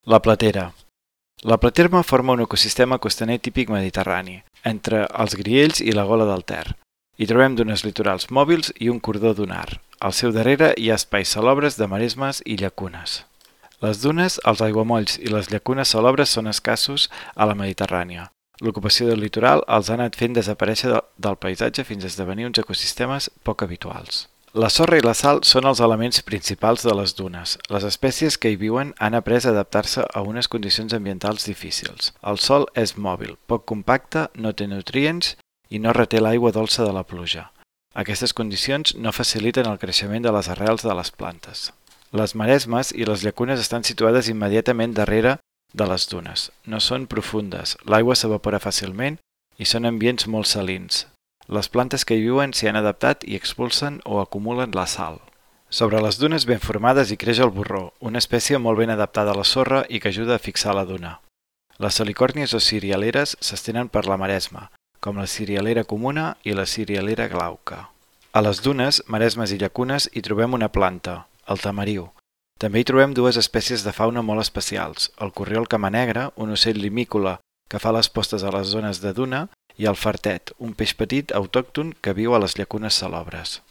La platera. La platerma forma un ecosistema costaner típic mediterrani, entre els Griells i la Gola del Ter. Hi trobem dunes litorals mòbils i un cordó dunar. Al seu darrere hi ha espais salobres de maresmes i llacunes. Les dunes, els aiguamolls i les llacunes salobres són escassos a la Mediterrània. L'ocupació del litoral els ha anat fent desaparèixer del paisatge fins a esdevenir uns ecosistemes poc habituals. La sorra i la sal són els elements principals de les dunes. Les espècies que hi viuen han après a adaptar-se a unes condicions ambientals difícils. El sòl és mòbil, poc compacte, no té nutrients i no reté l'aigua dolça de la pluja. Aquestes condicions no faciliten el creixement de les arrels de les plantes. Les maresmes i les llacunes estan situades immediatament darrere de les dunes. No són profundes, l'aigua s'evapora fàcilment i són ambients molt salins. Les plantes que hi viuen s'hi han adaptat i expulsen o acumulen la sal. Sobre les dunes ben formades hi creix el borró, una espècie molt ben adaptada a la sorra i que ajuda a fixar la duna. Les salicòrnies o cirialeres s'estenen per la maresma, com la cirialera comuna i la cirialera glauca. A les dunes, maresmes i llacunes hi trobem una planta, el tamariu. També hi trobem dues espècies de fauna molt especials, el corriol camanegre, un ocell limícola que fa les postes a les zones de duna, i el fartet, un peix petit autòcton que viu a les llacunes salobres.